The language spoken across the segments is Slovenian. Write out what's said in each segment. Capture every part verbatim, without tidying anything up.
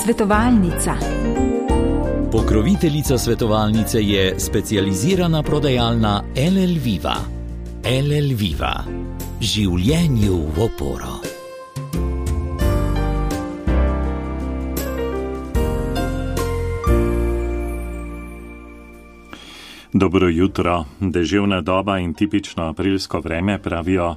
Svetovalnica. Pokroviteljica svetovalnice je specializirana prodajalna L L Viva. L L Viva. Življenju v oporo. Dobro jutro. Deževna doba in tipično aprilsko vreme, pravijo,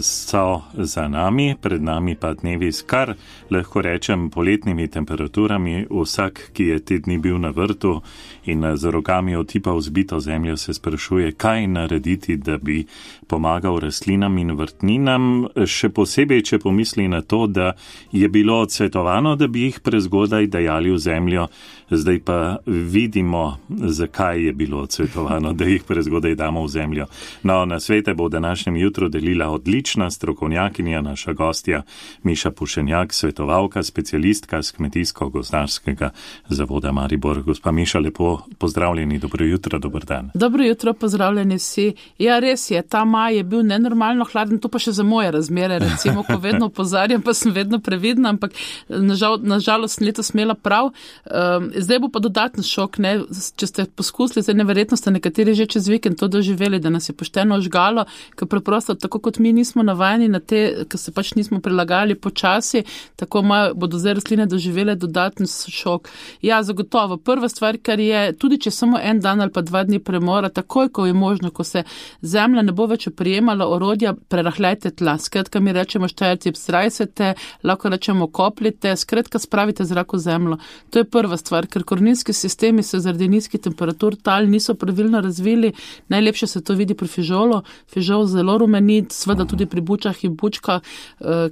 so za nami, pred nami pa dnevi s kar, lahko rečem, poletnimi temperaturami. Vsak, ki je te dni bil na vrtu in z rokami otipal zbito zemljo, se sprašuje, kaj narediti, da bi pomagal rastlinam in vrtninam, še posebej, če pomisli na to, da je bilo odsvetovano, da bi jih prezgodaj dajali v zemljo. Zdaj pa vidimo, zakaj je bilo odsvetovano, da jih prezgodaj damo v zemljo. No, na svete bo v današnjem jutru delila odlična strokovnjakinja, naša gostja Miša Pušenjak, svetovalka, specialistka z Kmetijsko-gozdarskega zavoda Maribor. Gospa Miša, lepo pozdravljeni, dobro jutro, dober dan. Dobro jutro, pozdravljeni vsi. Ja, res je, ta maj je bil nenormalno hladen, to pa še za moje razmere, recimo, ko vedno opozarjam, pa sem vedno previdna, ampak nažal, nažalost letos smela prav. Um, Zdaj bo pa dodaten šok, ne? Če ste poskusili, zdaj neverjetno ste nekateri že čez vikend to doživeli, da nas je pošteno ožgalo, ker preprosto, tako kot mi nismo navajeni na te, ker se pač nismo prilagajali počasi, tako imajo, bodo zdaj rastline doživele dodaten šok. Ja, zagotovo. Prva stvar, kar je, tudi če samo en dan ali pa dva dni premora, takoj, ko je možno, ko se zemlja ne bo več oprijemala orodja, prerahljajte tla. Skratka, mi rečemo štajerci, zrajsete, lahko rečemo koplite, skratka, spravite zrak v zemljo. To je prva stvar. Ker koreninski sistemi se zaradi nizkih temperatur tal niso pravilno razvili. Najlepše se to vidi pri fižolu. Fižol zelo rumeni, seveda tudi pri bučah in bučkah,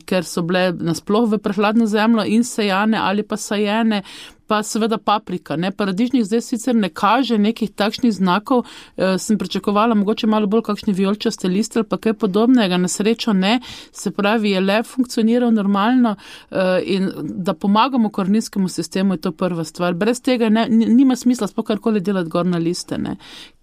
ker so bile nasploh v prehladno zemljo in sejane ali pa sajene. Pa seveda paprika, ne, paradižnik zdaj sicer ne kaže nekih takšnih znakov, e, sem pričakovala mogoče malo bolj kakšni vijolčaste liste ali pa kaj podobnega, na srečo ne, se pravi, je le funkcioniral normalno e, in da pomagamo koreninskemu sistemu je to prva stvar. Brez tega ne, nima smisla sploh karkoli delati gor na liste, ne,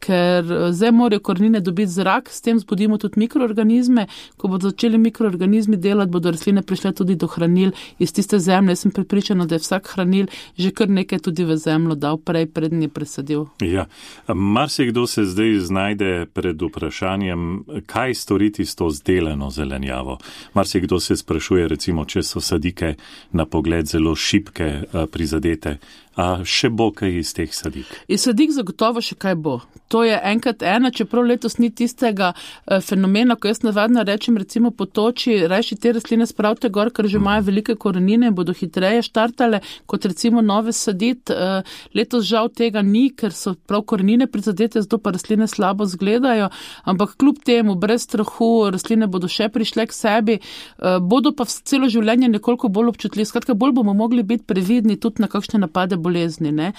ker zdaj morajo korenine dobiti zrak, s tem zbudimo tudi mikroorganizme, ko bodo začeli mikroorganizmi delati, bodo rastline prišle tudi do hranil iz tiste zemlje. Jaz sem prepričana, da je vsak hranil že kar nekaj tudi v zemljo dal prej, prednji presadil. Ja, marsikdo se zdaj znajde pred vprašanjem, kaj storiti s to zdeleno zelenjavo. Marsikdo se sprašuje, recimo, če so sadike na pogled zelo šibke, prizadete. A še bo kaj iz teh sadik? Iz sadik zagotovo še kaj bo. To je enkrat ena, čeprav letos ni tistega eh, fenomena, ko jaz navadno rečem, recimo po toči, rajši te rastline spravite gor, ker že imajo velike korenine in bodo hitreje štartale, kot recimo nove sadit. Eh, letos žal tega ni, ker so prav korenine prizadete, zato pa rastline slabo zgledajo, ampak kljub temu, brez strahu, rastline bodo še prišle k sebi, eh, bodo pa celo življenje nekoliko bolj občutljivi. Skratka, bolj bomo mogli biti previdni tudi na kakšne napade bolezni. Ne?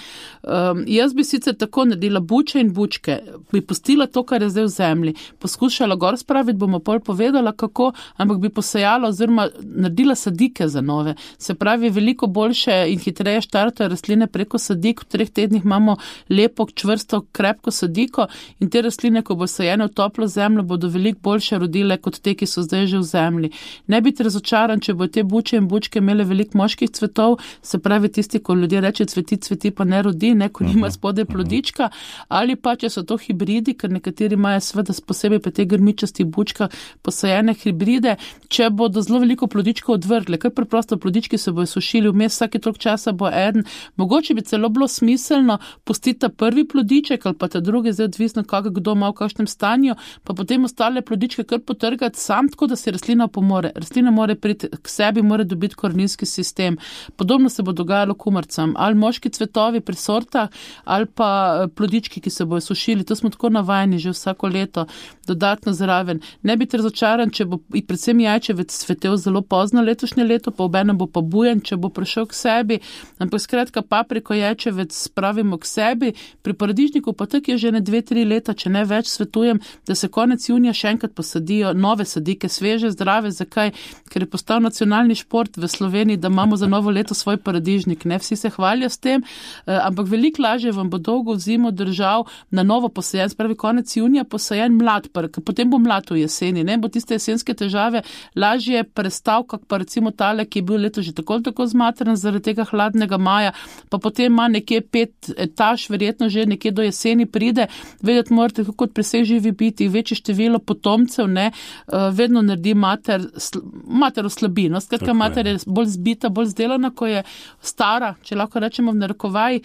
Um, jaz bi sicer tako naredila buče in bučke, bi pustila to, kar je zdaj v zemlji, poskušala gor spraviti, bomo pol povedala kako, ampak bi posejala oziroma naredila sadike za nove. Se pravi, veliko boljše in hitreje štartajo rastline preko sadik, v treh tednih imamo lepo, čvrsto, krepko sadiko in te rastline, ko bo sajene v toplo zemljo, bodo veliko boljše rodile kot te, ki so zdaj že v zemlji. Ne biti razočaran, če bo te buče in bučke imele veliko moških cvetov, se pravi tisti, ko ljudje reče cveti, cveti pa ne rodi, ne, ko nima spode plodička, ali pa če so to hibridi, ker nekateri imajo seveda posebej pa te grmičasti bučka posajene hibride, če bodo zelo veliko plodičkov odvrgli, ker preprosto plodički se bojo sušili, vmes vsake toliko časa bo eden, mogoče bi celo bilo smiselno pustiti ta prvi plodiček ali pa ta drugi, zdaj odvisno kako kdo ima v kakšnem stanju, pa potem ostale plodičke kar potrgati sam, tako da si rastlina pomore. Rastlina mora priti k sebi, mora dobiti koreninski sistem. Podobno se bo dogajalo kumarcam, ali moški cvetovi pri sortah ali pa plodički, ki se bojo sušili. To smo tako navajeni že vsako leto, dodatno zraven. Ne biti razočaran, če bo i predvsem jajčevec cvetel zelo pozno letošnje leto, pa obenem bo pa bujen, če bo prišel k sebi. Ampak skratka, papriko, jajčevec spravimo k sebi. Pri paradižniku pa tak je že ne dve, tri leta, če ne več, svetujem, da se konec junija še enkrat posadijo nove sadike, sveže, zdrave. Zakaj? Ker je postal nacionalni šport v Sloveniji, da imamo za novo leto svoj paradižnik. Ne vsi se hvalijo s tem, ampak veliko lažje vam bo dolgo zimo držal na novo posajen, spravi konec junija posajen mlad prk, potem bo mlad v jeseni, ne, bo tiste jesenske težave lažje prestal, kak pa recimo tale, ki je bil leto že tako tako zmatran zaradi tega hladnega maja, pa potem ima nekje pet etaž, verjetno že nekje do jeseni pride, vedeti morate, kot pri vseh živi biti, večje število potomcev, ne, vedno naredi mater, mater oslabi, no, skratka, mater je bolj zbita, bolj zdelana, ko je stara, če lahko rečemo v narekovaj,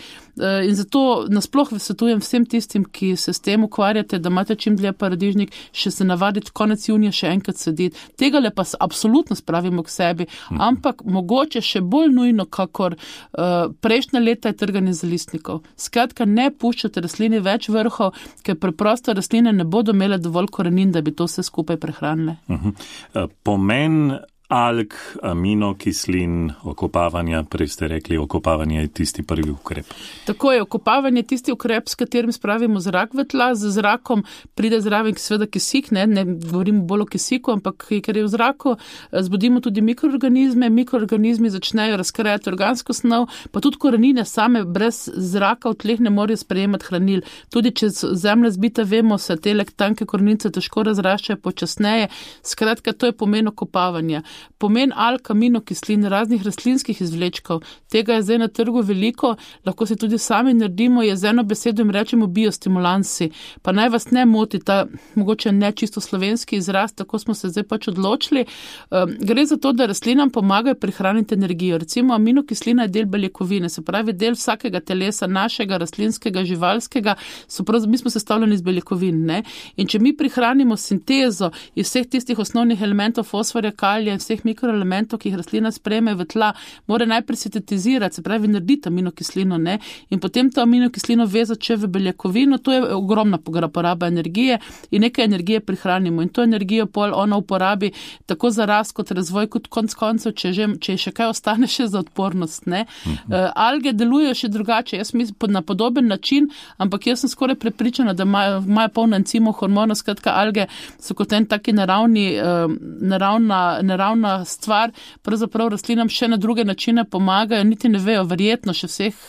in zato nasploh svetujem vsem tistim, ki se s tem ukvarjate, da imate čim dlje paradižnik, še se navaditi konec junija še enkrat sediti. Tega le pa absolutno spravimo k sebi, ampak mogoče še bolj nujno, kakor uh, prejšnja leta je trganje zalistnikov. Skratka, ne puščate rastlini več vrhov, ker preprosto rastline ne bodo imele dovolj korenin, da bi to vse skupaj prehranile. Uh-huh. Pomen alg, aminokislin, okopavanja, prej ste rekli, okopavanje je tisti prvi ukrep. Tako je, okopavanje je tisti ukrep, s katerim spravimo zrak v tla, z zrakom pride zraven seveda kisik, ne, ne govorimo bolj o kisiku, ampak ker je v zraku, zbudimo tudi mikroorganizme, mikroorganizmi začnejo razkrajati organsko snov, pa tudi korenine same brez zraka v tleh ne morejo sprejemati hranil. Tudi če zemlja zbita, vemo, se te tanke korenice težko razraščajo počasneje. Skratka, to je pomen okopavanja. Pomen alg, aminokislin, raznih rastlinskih izvlečkov, tega je zdaj na trgu veliko, lahko se tudi sami naredimo, je z eno besedo jim rečemo biostimulansi. Pa naj vas ne moti ta mogoče ne čisto slovenski izraz, tako smo se zdaj pač odločili. Um, gre za to, da rastlinam pomagajo prihraniti energijo. Recimo aminokislina je del beljakovine, se pravi del vsakega telesa, našega, rastlinskega, živalskega, so prav, mi smo sestavljeni iz beljakovin, ne? In če mi prihranimo sintezo iz vseh tistih osnovnih elementov fosforja, kalija, vseh mikroelementov, ki jih rastlina sprejme v tla, mora najprej sintetizirati, se pravi narediti aminokislino, ne, in potem to aminokislino vezati še v beljakovino, to je ogromna poraba energije in nekaj energije prihranimo in to energijo pol ona uporabi tako za rast kot razvoj, kot konc koncev, če, že, če še kaj ostane še za odpornost, ne. Mhm. Uh, alge delujejo še drugače, jaz mislim na podoben način, ampak jaz sem skoraj prepričana, da imajo, imajo polno encimov, hormonov, skratka alge so kot en taki naravni, uh, naravna, naravna stvar, pravzaprav rastlinam še na druge načine pomagajo, niti ne vejo, verjetno še vseh,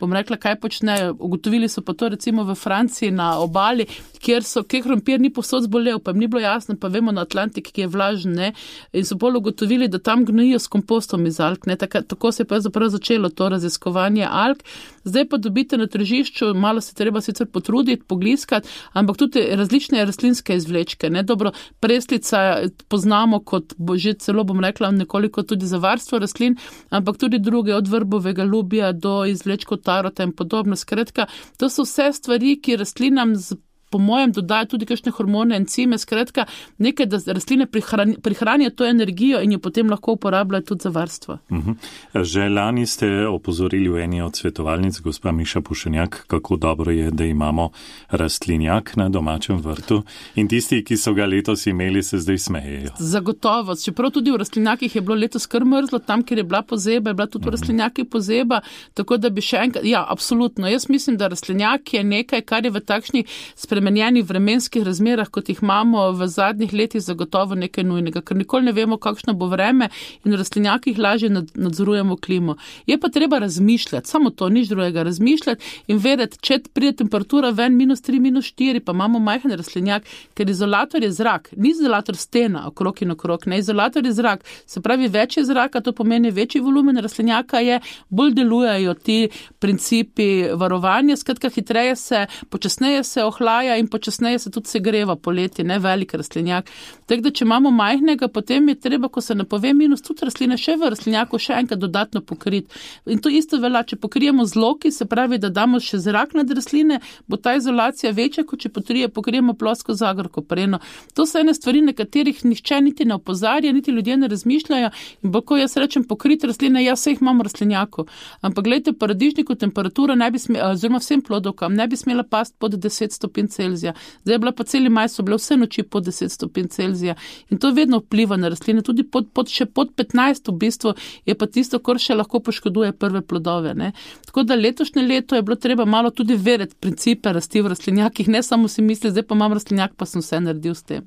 bom rekla, kaj počnejo. Ugotovili so pa to recimo v Franciji na obali, kjer so, kjer krompir ni povsod zbolel, pa jim ni bilo jasno, pa vemo na Atlantik, ki je vlažen, ne, in so bolj ugotovili, da tam gnojijo s kompostom iz alg, ne, tako, tako se je pa zapravo začelo to raziskovanje alg. Zdaj pa dobite na tržišču, malo se treba sicer potruditi, pogliskati, ampak tudi različne rastlinske izvlečke, ne, dobro, preslica poznamo kot že celo, bom rekla, nekoliko tudi za varstvo rastlin, ampak tudi druge, od vrbovega lubija do izvlečkov tarota in podobno. Skratka, to so vse stvari, ki rastlinam z po mojem dodajo tudi kakšne hormone, encime, skratka, nekaj, da rastline prihrani, prihranijo to energijo in jo potem lahko uporabljajo tudi za varstvo. Uh-huh. Že lani ste opozorili v eni od svetovalnic, gospa Miša Pušenjak, kako dobro je, da imamo rastlinjak na domačem vrtu in tisti, ki so ga letos imeli, se zdaj smejejo. Zagotovo, čeprav tudi v rastlinjakih je bilo letos kar mrzlo, tam, kjer je bila pozeba, je bila tudi v rastlinjakih pozeba, tako da bi še enkrat, ja, absolutno, jaz mislim, da rastlinjak je nekaj, kar je v takšnih spremenjenih vremenskih razmerah, kot jih imamo v zadnjih letih, zagotovo nekaj nujnega, ker nikoli ne vemo, kakšno bo vreme in v rastlinjakih lažje nadzorujemo klimo. Je pa treba razmišljati, samo to, nič drugega, razmišljati in vedeti, če pride temperatura ven minus tri, minus štiri, pa imamo majhen rastlinjak, ker izolator je zrak, ni izolator stena, okrog in okrog, ne, izolator je zrak, se pravi več je zraka, to pomeni večji volumen rastlinjaka je, bolj delujejo ti principi varovanja, skratka hitreje se, počasneje se ohlaja in počasneje se tudi segreva poleti, ne, velik rastlinjak. Tako da, če imamo majhnega, potem je treba, ko se napove minus, tudi rastline še v rastlinjaku še enkrat dodatno pokriti. In to isto velja, če pokrijemo z loki, se pravi, da damo še zrak nad rastline, bo ta izolacija večja, kot če potrije, pokrijemo plosko zagorko preno. To so ene stvari, na katerih nihče niti ne opozarja, niti ljudje ne razmišljajo in bo, ko jaz rečem pokriti rastline, jaz vse jih imam v rastlinjaku. Ampak gledajte, paradižniku temperatura ne bi smela, oziroma vsem plodovkam, ne bi smela past pod deset stopinj Celzija. Zdaj je bila pa celi maj, so bile vse noči pod deset stopinj Celzija in to vedno vpliva na rastline, tudi pod, pod, še pod petnajst v bistvu je pa tisto, kar še lahko poškoduje prve plodove, ne. Tako da letošnje leto je bilo treba malo tudi verjeti principe rasti v rastlinjakih, ne samo si misli, zdaj pa imam rastlinjak, pa sem vse naredil s tem.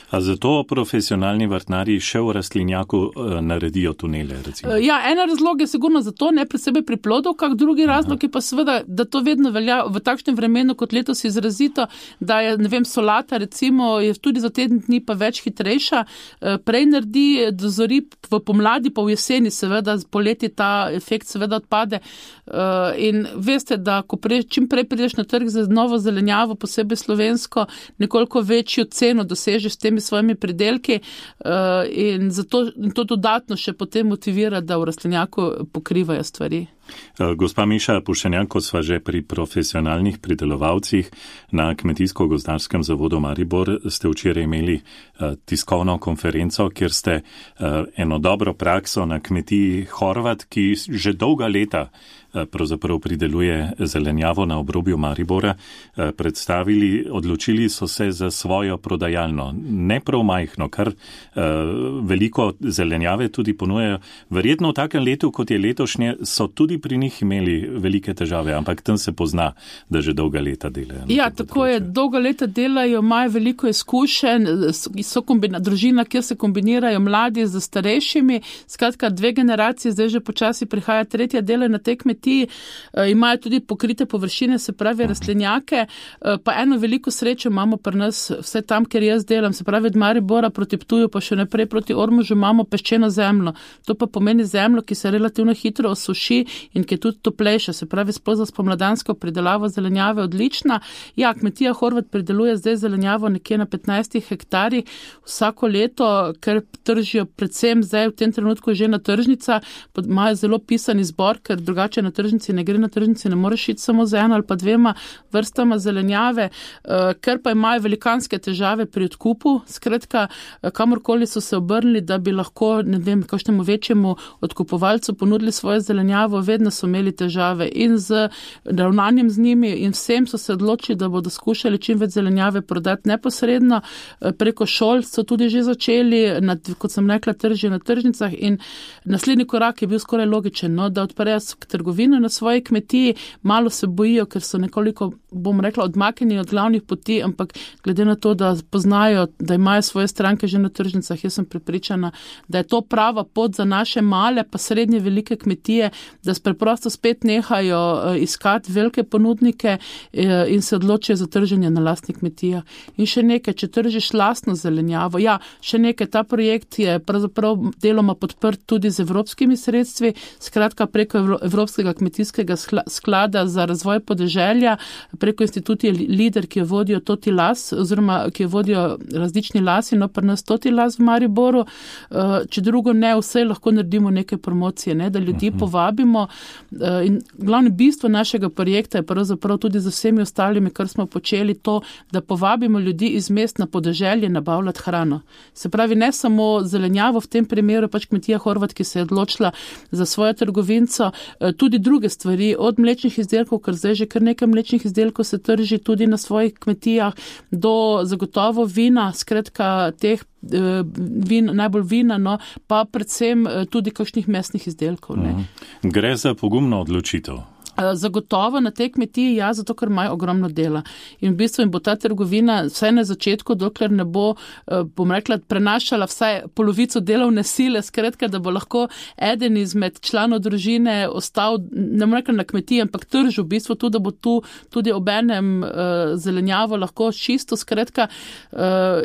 A zato profesionalni vrtnarji še v rastlinjaku naredijo tunele, recimo? Ja, ena razlog je sigurno zato, ne pri sebi pri plodov, kak drugi razlog je pa seveda, da to vedno velja v takšnem vremenu, kot letos izrazito, da je, ne vem, solata recimo je tudi za teden dni pa več hitrejša, prej naredi, dozori v pomladi, pa v jeseni seveda, poleti ta efekt seveda odpade in veste, da ko prej, čim prej prideš na trg za novo zelenjavo, posebej slovensko, nekoliko večjo ceno dosežeš s temi svojimi pridelki in zato in to dodatno še potem motivira, da v rastlinjaku pokrivajo stvari. Gospa Miša Pušenjak, ko sva že pri profesionalnih pridelovalcih na Kmetijsko-gozdarskem zavodu Maribor, ste včeraj imeli tiskovno konferenco, kjer ste eno dobro prakso na kmetiji Horvat, ki že dolga leta pravzaprav prideluje zelenjavo na obrobju Maribora, predstavili, odločili so se za svojo prodajalno. Ne prav majhno, kar veliko zelenjave tudi ponujajo. Verjetno v takem letu, kot je letošnje, so tudi pri njih imeli velike težave, ampak tam se pozna, da že dolga leta delajo. Ja, tako je, dolga leta delajo, imajo veliko izkušenj, so kombina, družina, kjer se kombinirajo mladi z starejšimi, skratka dve generacije, zdaj že počasi prihaja tretja dela na tej kmetiji, imajo tudi pokrite površine, se pravi rastlinjake, pa eno veliko srečo imamo pri nas, vse tam, kjer jaz delam, se pravi od Maribora proti Ptuju, pa še naprej proti Ormožu imamo peščeno zemljo. To pa pomeni zemljo, ki se relativno hitro osuši in ki je tudi toplejša, se pravi sploh za spomladansko pridelavo zelenjave odlična. Ja, kmetija Horvat prideluje zdaj zelenjavo nekje na petnajstih hektarjih vsako leto, ker tržijo predvsem zdaj v tem trenutku že na tržnica, imajo zelo pisan izbor, ker drugače na tržnici ne gre, na tržnici ne moreš iti samo z eno ali pa dvema vrstama zelenjave, ker pa imajo velikanske težave pri odkupu, skratka, kamorkoli so se obrnili, da bi lahko, ne vem, kakšnemu večjemu odkupovalcu ponudili svojo zelenjavo, vedno so imeli težave in z ravnanjem z njimi in vsem so se odločili, da bodo skušali čim več zelenjave prodati neposredno. Preko šol so tudi že začeli, na, kot sem rekla, tržijo na tržnicah in naslednji korak je bil skoraj logičen, no, da odprejo trgovino na svoji kmetiji, malo se bojijo, ker so nekoliko, bom rekla, odmaknjeni od glavnih poti, ampak glede na to, da poznajo, da imajo svoje stranke že na tržnicah, jaz sem prepričana, da je to prava pot za naše male pa srednje velike kmetije, da preprosto spet nehajo iskati velike ponudnike in se odločijo za trženje na lastnih kmetijah. In še nekaj, če tržiš lastno zelenjavo, ja, še nekaj, ta projekt je pravzaprav deloma podprt tudi z evropskimi sredstvi, skratka preko Evropskega kmetijskega sklada za razvoj podeželja, preko institucije Lider, ki jo vodijo Toti Las, oziroma ki jo vodijo različni lasi, no pa nas Toti Las v Mariboru, če drugo ne, vse lahko naredimo neke promocije, ne, da ljudi povabimo. In glavno bistvo našega projekta je pravzaprav tudi za vsemi ostalimi, kar smo počeli, to, da povabimo ljudi iz mest na podeželje nabavljati hrano. Se pravi, ne samo zelenjavo, v tem primeru pač kmetija Horvat, ki se je odločila za svojo trgovinco, tudi druge stvari, od mlečnih izdelkov, ker zdaj že kar nekaj mlečnih izdelkov se trži tudi na svojih kmetijah, do zagotovo vina, skratka teh vin, najbolj vina, no, pa predvsem tudi kakšnih mesnih izdelkov. Ne. Gre za pogumno odločitev. Zagotovo na tej kmetiji, ja, zato ker imajo ogromno dela. In v bistvu jim bo ta trgovina vsaj na začetku, dokler ne bo, bom rekla, prenašala vsaj polovico delovne sile, skratka, da bo lahko eden izmed članov družine ostal, ne bom rekla na kmetiji, ampak tržil v bistvu tudi, da bo tu tudi obenem zelenjavo lahko čisto, skratka,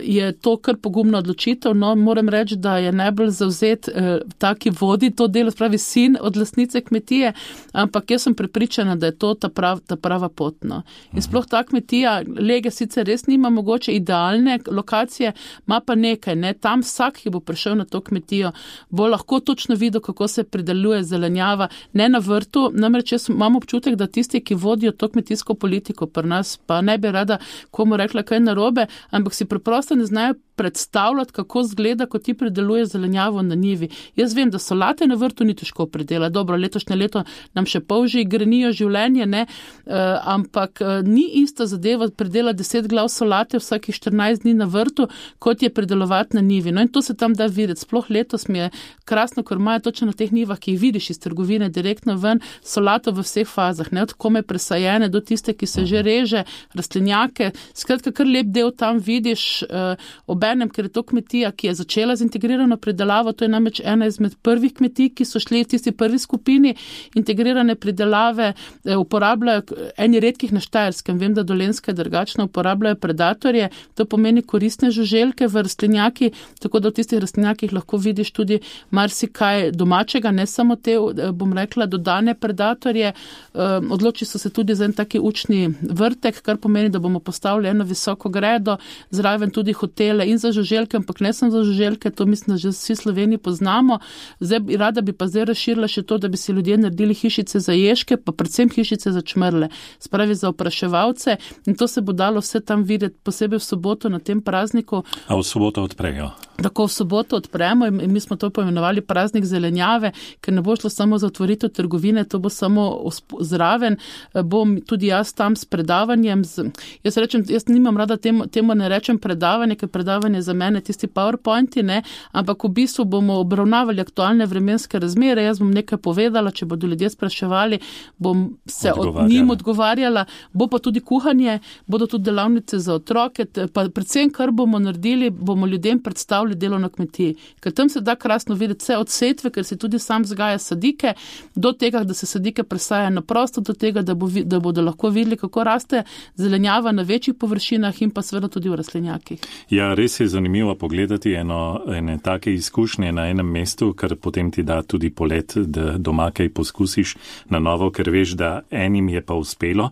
je to kar pogumno odločitev. No, moram reči, da je najbolj zavzet ta, ki vodi to delo, spravi sin od lastnice kmetije, ampak jaz sem pripričana, da je to ta, prav, ta prava pot. No. In sploh ta kmetija, Lege sicer res nima mogoče idealne lokacije, ima pa nekaj, ne, tam vsak, ki bo prišel na to kmetijo, bo lahko točno videl, kako se prideluje zelenjava, ne na vrtu, namreč jaz imam občutek, da tisti, ki vodijo to kmetijsko politiko pri nas, pa ne bi rada komu rekla kaj narobe, ampak si preprosto ne znajo predstavljati, kako zgleda, ko ti prideluje zelenjavo na njivi. Jaz vem, da solate na vrtu ni težko pridelati. Dobro, letošnje leto nam še polži grenijo življenje, ne, uh, ampak uh, ni ista zadeva pridelati deset glav solate vsakih štirinajst dni na vrtu, kot je pridelovati na njivi. No in to se tam da videti. Sploh letos mi je krasno, ker imajo točno na teh njivah, ki jih vidiš iz trgovine direktno ven, solato v vseh fazah, ne, od kome presajene do tiste, ki se že reže, rastlinjake. Skratka, kar lep del tam vidiš, uh, obenem, ker je to kmetija, ki je začela z integrirano pridelavo, to je namreč ena izmed prvih kmetij, ki so šli v tisti prvi skupini integrirane pridelave, uporabljajo eni redkih na Štajerskem, vem, da Dolenjska je drugačna, uporabljajo predatorje, to pomeni koristne žuželke v rastlinjaki, tako da v tistih rastlinjakih lahko vidiš tudi marsikaj domačega, ne samo te, bom rekla, dodane predatorje. Odloči so se tudi za en taki učni vrtek, kar pomeni, da bomo postavili eno visoko gredo, zraven tudi hotele in za žuželke, ampak ne samo za žuželke, to mislim, da že vsi Sloveniji poznamo. Zdaj, rada bi pa zdaj razširila še to, da bi si ljudje naredili hišice za ježke, pa predvsem hišice za čmrle, spravi za opraševalce, in to se bo dalo vse tam videti, posebej v soboto na tem prazniku. A v soboto odprejo? Tako v soboto odpremo in mi smo to poimenovali praznik zelenjave, ker ne bo šlo samo za otvoritev trgovine, to bo samo zraven. Bom tudi jaz tam s predavanjem. Z, jaz rečem, jaz nimam rada temu, temu ne rečem predavanje, ker predavanje za mene tisti PowerPointi, ne, ampak v bistvu bomo obravnavali aktualne vremenske razmere. Jaz bom nekaj povedala, če bodo ljudje spraševali, bom se od njim odgovarjala. Bo pa tudi kuhanje, bodo tudi delavnice za otroke, pa predvsem, kar bomo naredili, bomo ljudem predstavili delo na kmetiji. Ker tam se da krasno videti vse od setve, ker se tudi sam vzgaja sadike, do tega, da se sadike presaja na prosto, do tega, da, bo, da bodo lahko videli, kako raste zelenjava na večjih površinah in pa seveda tudi v rastlinjakih. Ja, res je zanimivo pogledati eno, ene take izkušnje na enem mestu, ker potem ti da tudi polet, da doma kaj poskusiš na novo, ker veš, da enim je pa uspelo.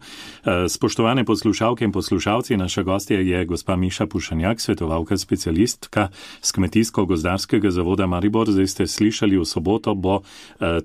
Spoštovane poslušalke in poslušalci, naša gostja je gospa Miša Pušanjak, svetovalka specialistka z Kmetijsko-gozdarskega zavoda Maribor. Zdaj ste slišali, v soboto bo uh,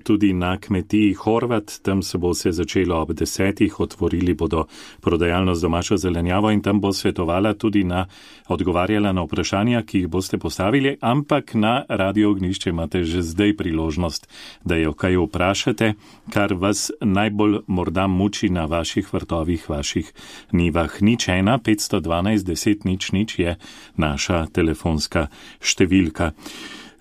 tudi na kmetiji Horvat, tam se bo vse začelo ob desetih, otvorili bodo prodajalno z domačo zelenjavo in tam bo svetovala tudi na, odgovarjala na vprašanja, ki jih boste postavili, ampak na Radio Ognjišče imate že zdaj priložnost, da jo kaj vprašate, kar vas najbolj morda muči na vaših vrtovih, vaših nivah. Nič ena, petsto dvanajst, deset, nič, nič je naša telefonska številka.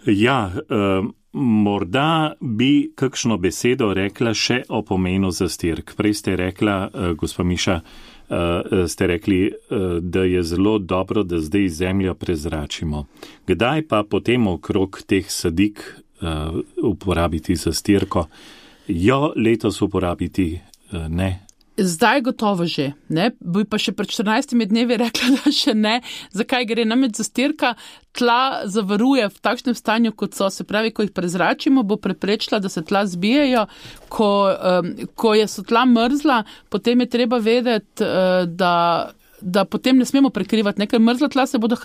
Ja, eh, morda bi kakšno besedo rekla še o pomenu zastirk. Prej ste rekla, eh, gospa Miša, eh, ste rekli, eh, da je zelo dobro, da zdaj zemljo prezračimo. Kdaj pa potem okrog teh sadik eh, uporabiti zastirko? Jo letos uporabiti eh, ne? Zdaj gotovo že, ne, bi pa še pred štirinajstimi dnevi rekla, da še ne. Zakaj gre? Namreč zastirka tla zavaruje v takšnem stanju, kot so, se pravi, ko jih prezračimo, bo preprečila, da se tla zbijajo. Ko, um, ko je so tla mrzla, potem je treba vedeti, uh, da da potem ne smemo prekrivati. Nekaj mrzla tla se bodo,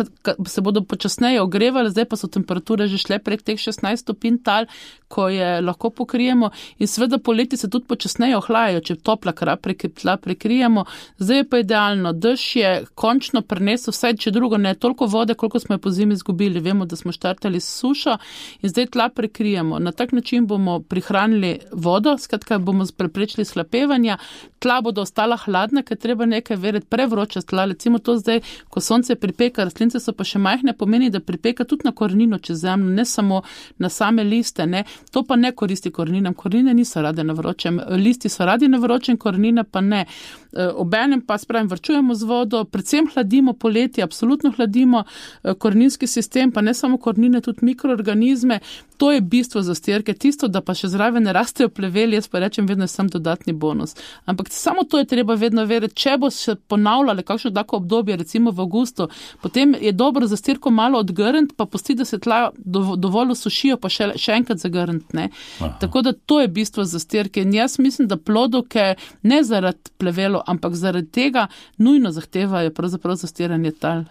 se bodo počasneje ogrevali, zdaj pa so temperature že šle prek teh šestnajst stopinj tal, ko je lahko pokrijemo in seveda poleti se tudi počasneje ohlajajo, če topla tla prekrijemo. Zdaj je pa idealno, dež je končno prinesel, vsaj če drugo ne, toliko vode, koliko smo je po zimi izgubili. Vemo, da smo štartali s sušo in zdaj tla prekrijemo. Na tak način bomo prihranili vodo, skratka bomo preprečili slapevanja, tla bodo ostala hladna, ker treba nekaj verjeti, prevroča tla, recimo to zdaj, ko sonce pripeka, rastlince so pa še majhne, pomeni, da pripeka tudi na korenino čez zemljo, ne samo na same liste, ne. To pa ne koristi koreninam, korenine niso rade na vročem, listi so radi na vročem, korenine pa ne. Obenem pa spravim, vrčujemo z vodo, predvsem hladimo poleti, absolutno hladimo koreninski sistem, pa ne samo korenine, tudi mikroorganizme. To je bistvo zastirke, tisto, da pa še zraven ne rastejo pleveli, jaz pa rečem vedno sam dodatni bonus. Ampak samo to je treba vedno verjeti, če bo se ponavljale kakšno tako obdobje, recimo v avgustu, potem je dobro zastirko malo odgrniti, pa pusti, da se tla dovolj osušijo, pa še, še enkrat zagrniti, ne. Aha. Tako da to je bistvo zastirke in jaz mislim, da plodovke ne zaradi plevelo, ampak zaradi tega nujno zahtevajo pravzaprav zastiranje tal.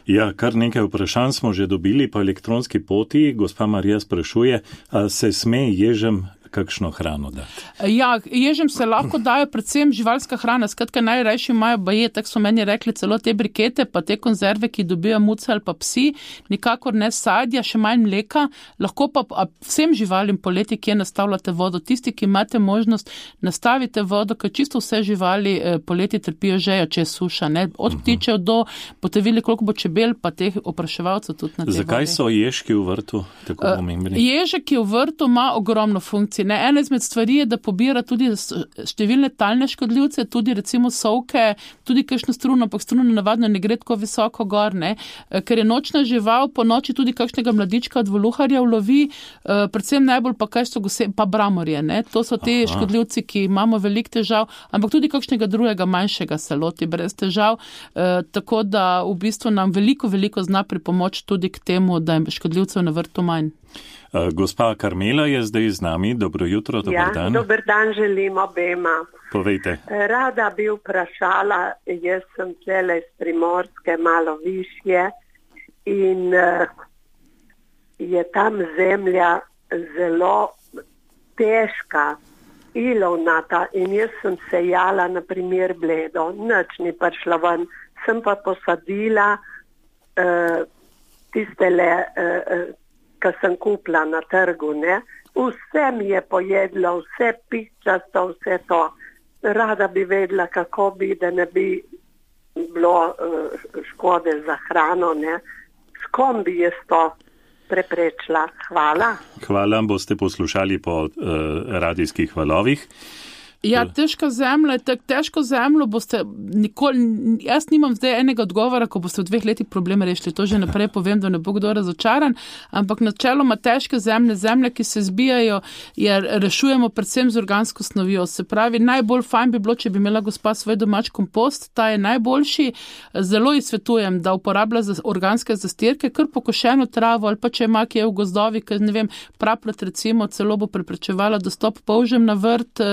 Ja, kar nekaj vprašanj smo že dobili po elektronski poti. Gospa Marija sprašuje, a se sme ježem kakšno hrano dati? Ja, ježem se lahko dajo predvsem živalska hrana, skratka najrajši imajo baje, tako so meni rekli, celo te brikete, pa te konzerve, ki dobijo muce ali pa psi, nikakor ne sadja, še manj mleka, lahko pa vsem živalim poleti, kje nastavljate vodo. Tisti, ki imate možnost, nastavite vodo, ker čisto vse živali poleti trpijo žejo, če je suša, ne, od ptičev do, boste videli, koliko bo čebel, pa teh opraševalcev tudi na te Zakaj vode. So ježki v vrtu tako pomembni? Ježek v vrtu ima ogromno funkcij. Ne? Ena izmed stvari je, da pobira tudi številne talne škodljivce, tudi recimo sovke, tudi kakšno struno, ampak struno navadno ne gre tako visoko gor, ne? Ker je nočna žival, po noči tudi kakšnega mladička od voluharja ulovi, predvsem najbolj pa kaj so gose, pa bramorje. Ne? To so te Aha. škodljivci, ki imamo veliko težav, ampak tudi kakšnega drugega manjšega se loti brez težav, tako da v bistvu nam veliko, veliko zna pripomoč tudi k temu, da je škodljivcev na vrtu manj. Gospa Karmela je zdaj z nami. Dobro jutro, dober ja, dan. Dober dan želim obema. Povejte. Rada bi vprašala, jaz sem tlele iz Primorske, malo višje in uh, je tam zemlja zelo težka, ilovnata in jaz sem sejala na primer bledo, nič ni prišla ven, sem pa posadila uh, tistele uh, ki sem kupila na trgu, ne. Vse mi je pojedlo, vse pičasto, vse to. Rada bi vedela, kako bi, da ne bi bilo uh, škode za hrano, ne. S kom bi jaz to preprečila? Hvala. Hvala, boste poslušali po uh, radijskih valovih. Ja, težka zemlja, tak, težko zemljo boste nikoli, jaz nimam zdaj enega odgovora, ko boste v dveh letih problem rešili, to že naprej povem, da ne bo kdo razočaran, ampak načeloma težke zemlje, zemlje, ki se zbijajo, je rešujemo predvsem z organsko snovjo. Se pravi, najbolj fajn bi bilo, če bi imela gospa svoj domač kompost, ta je najboljši. Zelo ji svetujem, da uporablja za organske zastirke, kar pokošeno travo ali pa če ima kje v gozdovi, ker ne vem, praplet recimo celo bo preprečevala dostop polžem na vrt,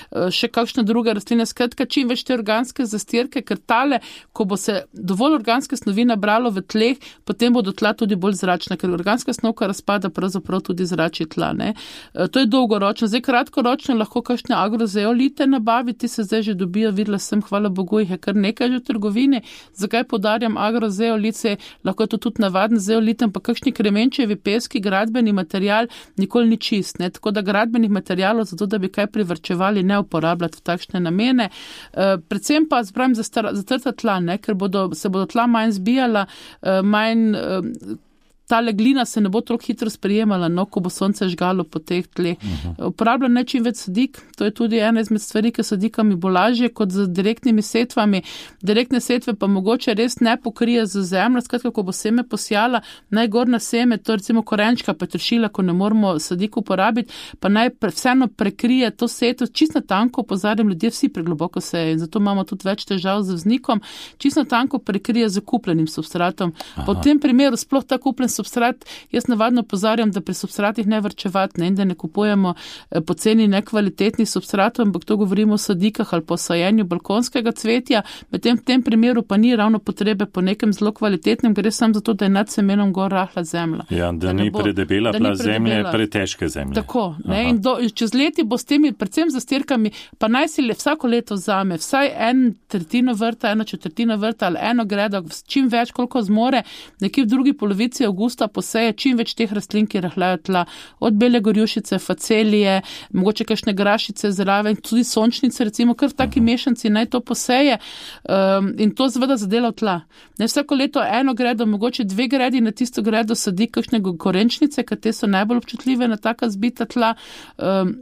še kakšne druge rastline, skratka čim več te organske zastirke, ker tale, ko bo se dovolj organske snovi nabralo v tleh, potem bodo tla tudi bolj zračna, ker organska snovka razpada pravzaprav tudi zrači tla. Ne? To je dolgoročno. Zdaj kratkoročno lahko kakšne agrozeolite nabaviti, se zdaj že dobijo, videla sem, hvala Bogu, jih je kar nekaj že v trgovini. Zakaj podarjam agrozeolice? Lahko je to tudi navaden zeolit, ampak kakšni kremenčevi peski, gradbeni material nikoli ni čist. Ne? Tako da gradbenih materialov, zato da bi kaj privrčevali, ne uporabljati v takšne namene. E, predvsem pa zbrajam za, za trta tla, ne, ker bodo, se bodo tla manj zbijala, e, manj e, tale glina se ne bo toliko hitro sprijemala, no, ko bo sonce žgalo po teh tleh. Uh-huh. Uporabljam ne čim več sadik, to je tudi ena izmed stvari, ki sadikami bo lažje kot z direktnimi setvami. Direktne setve pa mogoče res ne pokrije z zemljo, skratka, ko bo seme posjala, najgor na seme, to recimo korenčka, petršila, ko ne moramo sadik uporabiti, pa naj pre, vseeno prekrije to setvo, čisto tanko, opozarjam, ljudje vsi pregloboko seje in zato imamo tudi več težav z vznikom, čisto tanko prekrije z kupljenim substratom. Aha. Po tem primeru sploh ta kupljen substrat, jaz navadno pozarjam, da pri substratih ne vrčevati, ne, in da ne kupujemo poceni nekvalitetnih substratov, ampak to govorimo o sadikah ali po sajenju balkonskega cvetja, medtem v tem primeru pa ni ravno potrebe po nekem zelo kvalitetnem, gre samo zato, da je nad semenom gor rahla zemlja. Ja, da, da ni bo, predebela pla zemlje, pretežke zemlje. Tako, ne, in do, čez leti bo s temi, predvsem za stirkami, pa naj si le vsako leto vzame vsaj en tretjino vrta, eno četrtino vrta ali eno gredo, čim več, koliko zmore, nekje v drugi polovici avgusta poseje čim več teh rastlin, ki rahljajo tla, od bele gorjušice, facelije, mogoče kakšne grašice zraven, tudi sončnice, recimo, kar v taki mešanci naj to poseje um, in to zveda zadela v tla. Ne, vsako leto eno gredo, mogoče dve gredi na tisto gredo sadi kakšne korenčnice, ker te so najbolj občutljive na taka zbita tla. Um,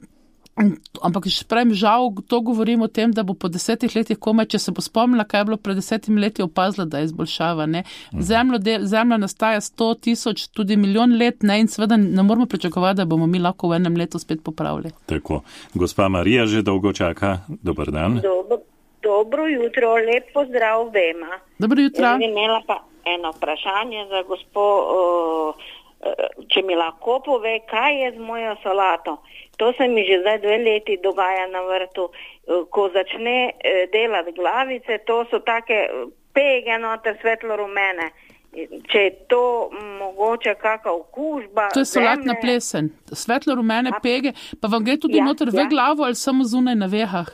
Ampak še pravim, žal, to govorim o tem, da bo po desetih letih komaj, če se bo spomnila, kaj je bilo pred desetimi leti, opazila, da je izboljšava. Ne? Zemljo, de, zemlja nastaja sto tisoč, tudi milijon let, ne? In seveda ne moramo pričakovati, da bomo mi lahko v enem letu spet popravili. Tako. Gospa Marija že dolgo čaka. Dobar dan. Dobro, dobro jutro, lep pozdrav vema. Dobro jutro. Jaz bi imela pa eno vprašanje za gospo, uh, če mi lahko pove, kaj je z mojo solato. To se mi že zdaj dve leti dogaja na vrtu. Ko začne delati glavice, to so take pege noter svetlo rumene. Če je to mogoče kakva okužba. To je solatna plesen. Svetlo rumene A, pege, pa vam gre tudi ja, noter ja. v glavo ali samo zunaj na vehah?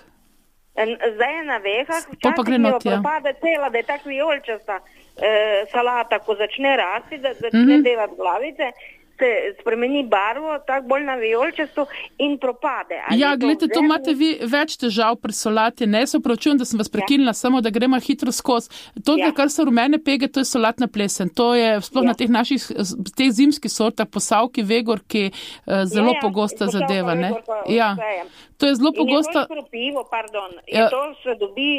Zdaj je na vehah, včasih mi jo propade cela, da je tak vijolčasta eh, salata, ko začne rasti, da začne mm-hmm. delati glavice, se spremeni barvo, tako bolj na vijolčasto in propade. Ali ja, to gledajte, to vzem... imate vi več težav pri solati. Ne, se opravičujem, da sem vas prekinila, ja. samo da gremo hitro skozi. To, ja. kar so rumene pege, to je solatna plesen. To je sploh ja. na teh naših, teh zimskih sortah, posavki, vegorki, zelo ja, ja. pogosta posavka, zadeva. Ne? Ja. To je zelo pogosta. In je to škropivo, pardon. Ja. To se dobi,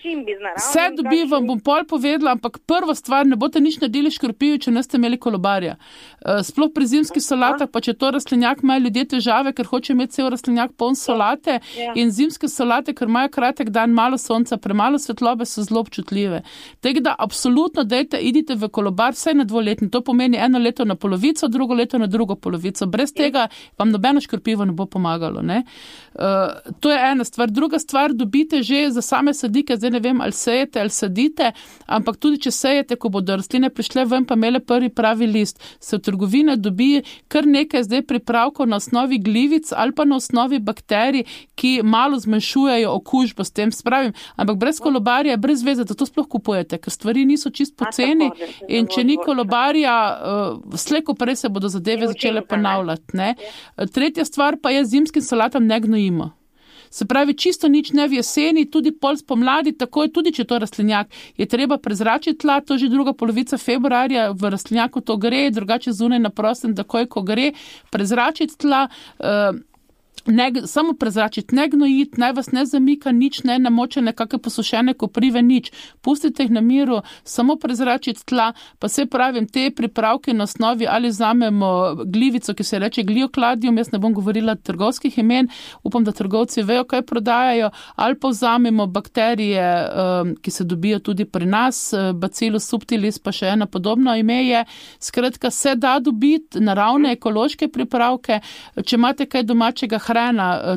čim bi znaravno. Vse dobi, vam bom pol povedala, ampak prva stvar, ne boste nič naredili škropijo, če ne ste imeli kolobarja. Sploh pri zimskih solatah, pa če to rastlinjak, imajo ljudje težave, ker hoče imeti cel rastlinjak poln solate ja. in zimske solate, ker imajo kratek dan, malo sonca, premalo svetlobe, so zelo občutljive. Tega da absolutno dejte, idite v kolobar, vsaj na dvoletni. To pomeni eno leto na polovico, drugo leto na drugo polovico. Brez ja. tega vam nobeno škropivo ne bo pomagalo. Ne? Uh, to je ena stvar. Druga stvar, dobite že za same sadike, zdaj ne vem, ali sejete ali sadite, ampak tudi če sejete, ko bodo rastline prišle ven, pa imele prvi pravi list, se v trgovine dobi kar nekaj zdaj pripravkov na osnovi glivic ali pa na osnovi bakterij, ki malo zmanjšujejo okužbo s tem, spravim, ampak brez kolobarja je brez veze, da to sploh kupujete, ker stvari niso čist poceni in če ni kolobarja, uh, slejko prej se bodo zadeve začele ponavljati. Ne? Tretja stvar pa je zimskim salatam ne gnojimo. Se pravi, čisto nič ne v jeseni, tudi pol spomladi, takoj, tudi če to rastlinjak, je treba prezračiti tla, to že druga polovica februarja, v rastlinjaku to gre, drugače zunaj na prostem, takoj, ko gre, prezračiti tla, uh, Ne, samo prezračiti, ne gnojiti, naj vas ne zamika, nič ne namočene, kakve posušene koprive, nič. Pustite jih na miru, samo prezračiti tla, pa se pravim, te pripravke na osnovi ali vzamemo glivico, ki se reče gliokladium, jaz ne bom govorila trgovskih imen, upam, da trgovci vejo, kaj prodajajo, ali pa vzamemo bakterije, ki se dobijo tudi pri nas, Bacillus subtilis, pa še ena podobno ime je. Skratka, se da dobiti naravne ekološke pripravke, če imate kaj domačega hrana,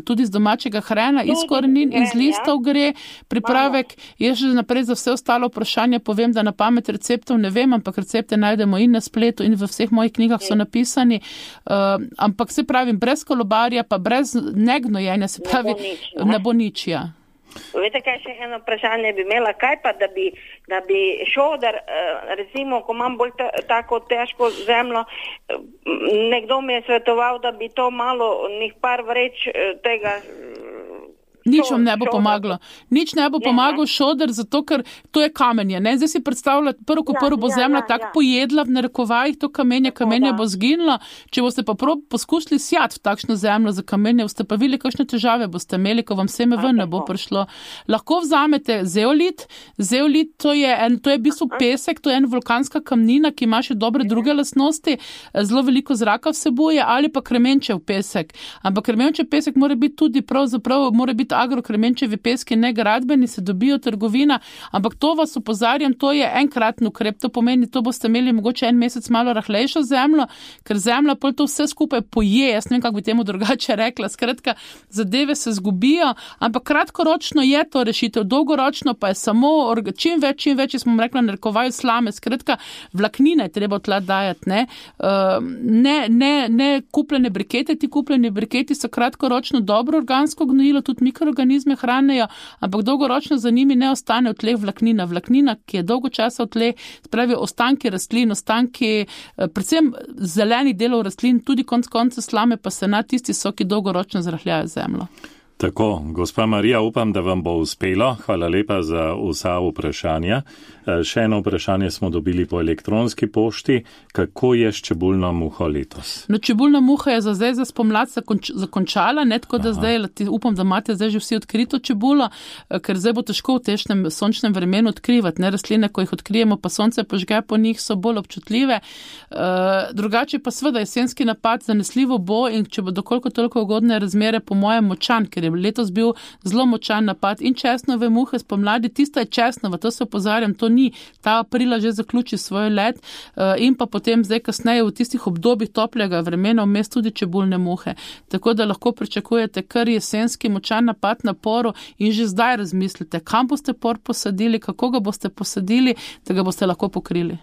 tudi z domačega hrana, iz korenin, iz listov gre, pripravek, jaz že naprej za vse ostalo vprašanje povem, da na pamet receptov ne vem, ampak recepte najdemo in na spletu in v vseh mojih knjigah so napisani, uh, ampak se pravim, brez kolobarja, pa brez negnojenja, se pravi, ne bo nič, ja. Veste, kaj še eno vprašanje bi imela, kaj pa, da bi, da bi šoder, recimo, ko imam bolj ta, tako težko zemljo, nekdo mi je svetoval, da bi to malo, njih par vreč tega... Nič vam ne bo pomagalo. Nič ne bo pomagal šoder, zato ker to je kamenje. Ne? Zdaj si predstavljate, prvo ko prvo bo zemlja tako pojedla v narekovajih to kamenje, kamenje bo zginilo. Če boste pa prav poskušali sjati v takšno zemljo za kamenje, boste pa videli, kakšne težave boste imeli, ko vam seme ven ne bo prišlo. Lahko vzamete zeolit. Zeolit to je, en, to je v bistvu pesek, to je ena vulkanska kamnina, ki ima še dobre druge lastnosti, zelo veliko zraka vsebuje, ali pa kremenčev pesek. Ampak kremenčev pesek mora biti tudi pravzaprav, mora biti agrokremenčevi peski, ne gradbeni, se dobijo trgovina, ampak to vas opozarjam, to je enkratni ukrep, to pomeni, to boste imeli mogoče en mesec malo rahlejšo zemljo, ker zemlja pol to vse skupaj poje, jaz ne vem, kako bi temu drugače rekla, skratka, zadeve se zgubijo, ampak kratkoročno je to rešitev, dolgoročno pa je samo, čim več, čim več, smo rekla, narekovaju slame, skratka, vlaknine treba tla dajati, ne, uh, ne, ne, ne kupljene brikete, ti kupljeni briketi so kratkoročno dobro organsko gnojilo, tudi mikroorganizme hranejo, ampak dolgoročno za njimi ne ostane v tleh vlaknina. Vlaknina, ki je dolgo časa v tleh, spravi ostanki rastlin, ostanki, predvsem zelenih delov rastlin, tudi konc konca slame, pa se na tisti so, ki dolgoročno zrahljajo zemljo. Tako, gospa Marija, upam, da vam bo uspelo. Hvala lepa za vsa vprašanja. Še eno vprašanje smo dobili po elektronski pošti. Kako je s čebulno muho letos? No, čebulna muha je za zdaj za spomlad zakončala, ne tako da zdaj, upam, da imate zdaj že vsi odkrito čebulo, ker zdaj bo težko v težkem sončnem vremenu odkrivati. Ne, rastline, ko jih odkrijemo, pa sonce požge po njih, so bolj občutljive. Uh, drugače pa seveda jesenski napad zanesljivo bo in če bo dokoliko toliko ugodne razmere, po mojem močan, ker je letos bil zelo močan napad in česnove muhe spomladi, tista je česnova, to se opozarjam, to ni, ta aprila že zaključi svoj let uh, in pa potem zdaj kasneje v tistih obdobjih toplega vremena vmes tudi čebulne muhe. Tako da lahko pričakujete kar jesenski močan napad na poru in že zdaj razmislite, kam boste por posadili, kako ga boste posadili, da ga boste lahko pokrili.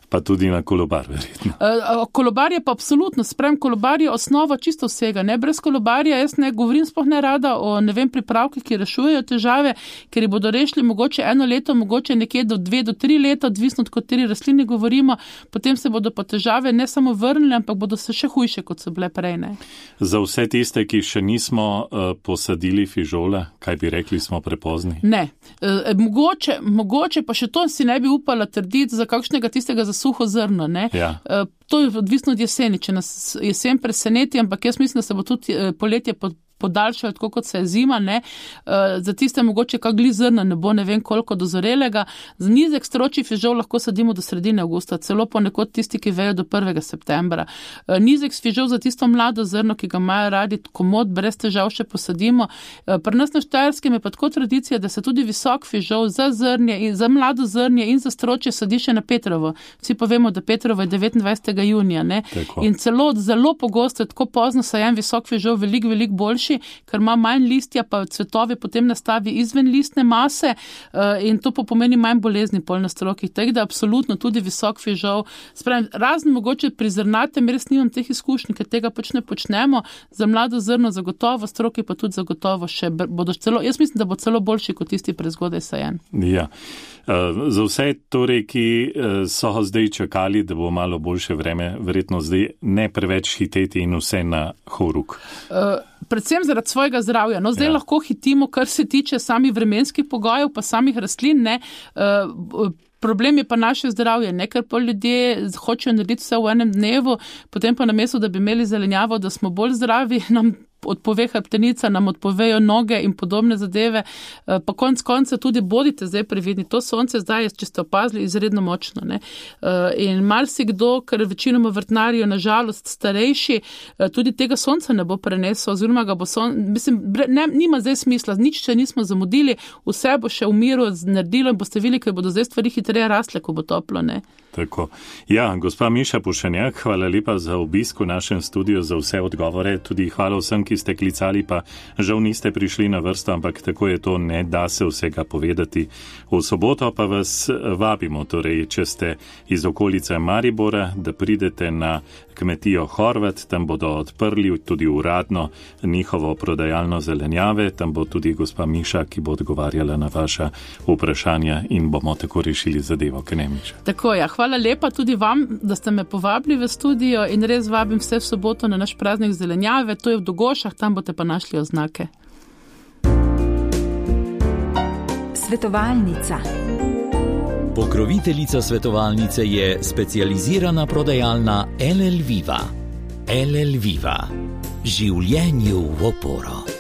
Pa tudi na kolobar, verjetno. Uh, kolobar je pa absolutno, sprem, kolobar je osnova čisto vsega, ne, brez kolobarja jaz ne govorim sploh ne rada o, ne vem, pripravkih, ki rešujejo težave, ker jih bodo rešili mogoče eno leto, mogoče nekje do dve do tri leta, odvisno od kateri rastlini govorimo, potem se bodo pa težave ne samo vrnili, ampak bodo se še hujše, kot so bile prej. Ne? Za vse tiste, ki še nismo uh, posadili fižole, kaj bi rekli, smo prepozni? Ne. E, mogoče, mogoče pa še to si ne bi upala trditi za kakšnega tistega za suho zrno. Ne? Ja. E, to je odvisno od jeseni, če nas jesen preseneti, ampak jaz mislim, da se bo tudi poletje pod podaljšajo, tako kot se je zima, ne, za tiste mogoče kak gli zrna ne bo ne vem koliko dozorelega. Za nizek stročji fižol lahko sadimo do sredine avgusta, celo ponekod tisti, ki vejo do prvega septembra. Nizek fižol za tisto mlado zrno, ki ga imajo radi, komod, brez težav še posadimo. Pri nas na Štajerskem je pa tako tradicija, da se tudi visok fižol za zrnje in za mlado zrnje in za stročje sadi še na Petrovo. Vsi pa vemo, da Petrovo je devetindvajsetega junija, ne. Tako. In celo zelo pogosto je tako pozno sajen visok fižol veliko, veliko boljši, ker ima manj listja, pa cvetovi potem nastavi izven listne mase in to pa pomeni manj bolezni pol na strokih. Tako da absolutno tudi visok fižol. Spravim, razen mogoče pri zrnatem, res nimam teh izkušnj, ker tega pač ne počnemo. Za mlado zrno zagotovo, stroki pa tudi zagotovo še bodo celo, jaz mislim, da bo celo boljši kot tisti prezgodaj sajen. Ja. Za vse torej, ki so zdaj čakali, da bo malo boljše vreme, verjetno zdaj ne preveč hiteti in vse na horuk. Uh, predvsem zaradi svojega zdravja. No, zdaj ja. lahko hitimo, kar se tiče samih vremenskih pogojev, pa samih rastlin, ne. Uh, Problem je pa naše zdravje, ne, ker pa ljudje hočejo narediti vse v enem dnevu, potem pa namesto, da bi imeli zelenjavo, da smo bolj zdravi, nam odpove hrbtenica, nam odpovejo noge in podobne zadeve, pa konc konca tudi bodite zdaj previdni. To sonce zdaj, če ste opazili, izredno močno. Ne? In marsikdo, ker večinoma vrtnarijo nažalost starejši, tudi tega sonca ne bo prenesel, oziroma ga bo son, mislim, ne, nima zdaj smisla, nič še nismo zamudili, vse bo še v miru naredilo in boste videli, ker bodo zdaj stvari hitreje rastle, ko bo toplo. Ne? Tako. Ja, gospa Miša Pušenjak, hvala lepa za obisk v našem studiu, za vse odgovore, tudi hvala vsem, ki ste klicali, pa žal niste prišli na vrsto, ampak tako je to, ne da se vsega povedati. V soboto pa vas vabimo, torej, če ste iz okolice Maribora, da pridete na kmetijo Horvat, tam bodo odprli tudi uradno njihovo prodajalno zelenjave, tam bo tudi gospa Miša, ki bo odgovarjala na vaša vprašanja in bomo tako rešili zadevo, Knemiča. Tako ja, hvala lepa tudi vam, da ste me povabili v studio in res vabim vse v soboto na naš praznik zelenjave, to je v Dogošah, tam boste pa našli oznake. Svetovalnica. Pokroviteljica svetovalnice je specializirana prodajalna L L Viva. L L Viva. Življenju v oporo.